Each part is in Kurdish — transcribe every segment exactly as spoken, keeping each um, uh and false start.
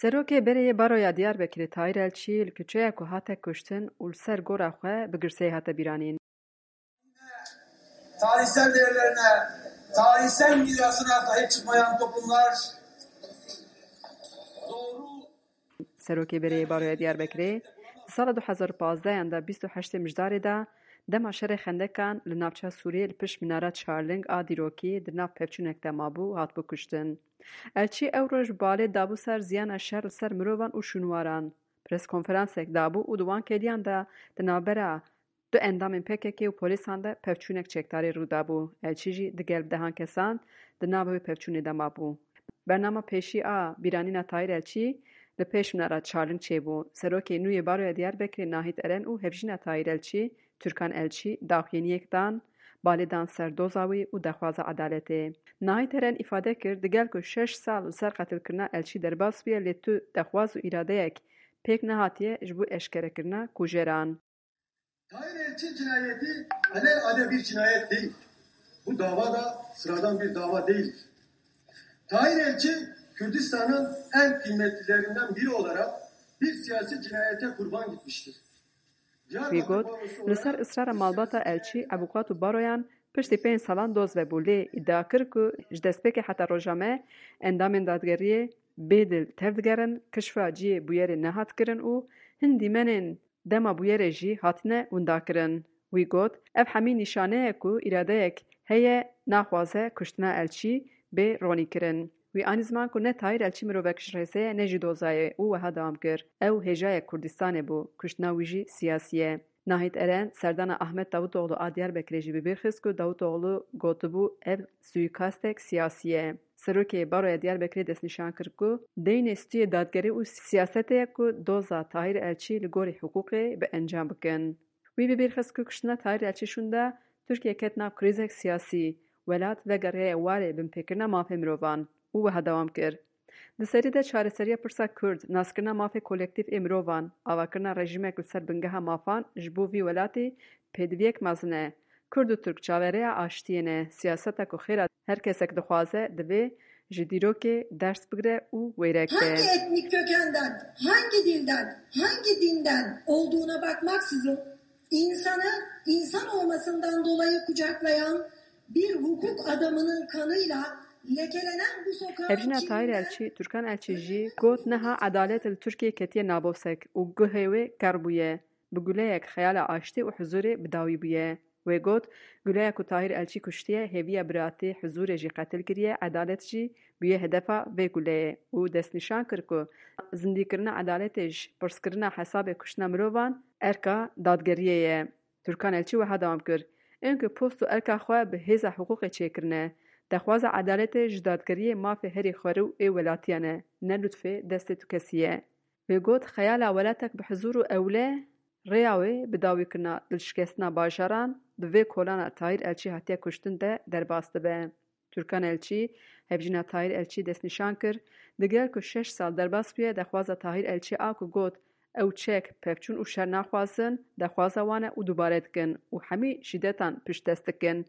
Serokê Berê yê Baroya Diyarbekirê Tahîr Elçî li kuçeya ku hate kuştin û li ser gora xwe bi girseyê hate bîranîn. Tarihsel değerlerine, tarihsel mirasına sahip çıkmayan toplumlar doğru Serokê Berê yê Baroya Diyarbekirê di sala du hezar û pazdeh de bîst û heştê Mijdarê de dema şerê xendekan li navça Sûriyê li pişt minara Çarling a dîrokî di nav pevçûnek de mabû û hatibû kuştin. Elçî ew roj balê dabû ser ziyana şer li ser mirovan û şûnwaran. Preskonferansek dabû û di wan kêliyan de di navbera du endamên P K K û polîsan de pevçûnek çekdarî rû dabû. Elçî jî digel bi dehan kesan di nava wê pevçûnê de mabû. Bernama pêşî a bîranîna Tahîr Elçî li pêş minara Çarling çêbû. Serokê nû yê Baroya Diyarbekirê Nahît Eren û hevjîna Tahîr Elçî, Türkan Elçî, daxuyaniyek dan, balê dan ser doza wî û daxwaza edaletê. Nahît Eren îfade kir, digel ku şeş sal li ser qetilkirina Elçî derbas bûye, lê tu daxwaz û îradeyek pêk nehatiye ji bo eşkerekirina kujeran. Tahir Elçi cinayeti alelade bir cinayet değil. Bu dava da sıradan bir dava değildir. Tahir Elçi, Kürdistan'ın en kıymetlilerinden biri olarak bir siyasi cinayete kurban gitmiştir. Wî got, li ser israra malbata Elçî, ebukat û baroyan piştî pênc salan doz vebû, lê îdia kir ku ji destpêkê heta roja me endamên dadgeriyê bê dil tevdigerin, kişfa cihê bûyerê nehat kirin û hin dîmenên dema bûyerê jî hatine windakirin. Wî got, ev hemî nîşane ye ku îradeyek heye naxwaze kuştina Elçî bê ronîkirin. Wî anî ziman ku ne Tahîr Elçî mirovek ji rêzê ye ne jî doza ye û wiha dewam kir, ew hêjayek Kurdistanê bû, kuştina wî jî siyasî ye. Nahît Eren serdana Ahmet Davutoğlu a Diyarbekirê jî bi bîr xist ku Davutoğlu gotibû ev suîkastek siyasî ye. Serokê Baroya Diyarbekirê destnîşan kir ku deynê stûyê dadgerî û siyasetê ye ku doza Tahîr Elçî li gorî hiqûqê bi encam bikin. Wî bi bîr xist ku kuştina Tahîr Elçî şûnda Tirkiye ket nav krîzek siyasî, welat vegeriyaye warê binpêkirina mafê mirovan û wiha dewam kir, Di serî de çareseriya pirsa Kurd, naskirina mafê kolektîf ê mirovan, avakirina rejîmek li ser bingeha mafan ji bo vî welatî pêdiviyek mezin e. Kurd û Tirk çaverêya aştiyê ne. Siyaseta ku xêra her kesek dixwaze, divê ji dîrokê ders bigire û wêrek be. Hangi etnik kökenden, hangi dilden, hangi dinden olduğuna bakmaksızın insanı insan olmasından dolayı kucaklayan bir hukuk adamının kanıyla lekelenen bu sokağın Hevjîna Tahîr Elçî, Türkan Elçî jî got, niha edalet li Tirkiyê ketiye nabosek û guhê wê ker bûye. Bi guleyek xeyala aştî û huzûrê bi dawî bûye. Wê got, guleya ku Tahîr Elçî kuştiye, hêviya biratî, huzûrê jî qetil kiriye, edalet jî bûye hedefa vê guleyê û destnîşan kir ku zindîkirina edaletê ji pirskirina hesabê kuştina mirovan erka dadgeriyê ye. Türkan Elçî wiha dewam kir, Ên ku post û erka xwe bi hêza hiqûqê çêkirine, daxwaza edaletê ji dadgeriyê mafê herî xwerû ê welatiyan e, ne lûtfê destê tu kesî ye. Wê got, xeyala welatek bi huzûr û ewle rêya wê bi dawîkirina dilşikestina bajaran di vê kolana Tahîr Elçî hatiye kuştin de derbas dibe. Türkan Elçî, hevjîna Tahîr Elçî destnîşan kir, digel ku şeş sal derbas bûye, daxwaza Tahîr Elçî a ku got, ew çek, pevçûn û şer naxwazin, daxwaza wan e û dubare dikin û hemî şîdetan piştdest dikin.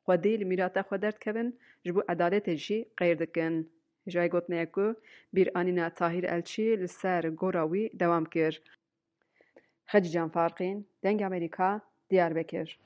Xwedî li mîrata xwe derdikevin, ji bo edaletê jî qeyr dikin. Hêjayê gotinê ye ku bîranîna Tahîr Elçî li ser gora wî dewam kir. Xecîcan Farqîn, Dengê Amerîka, Diyarbekir.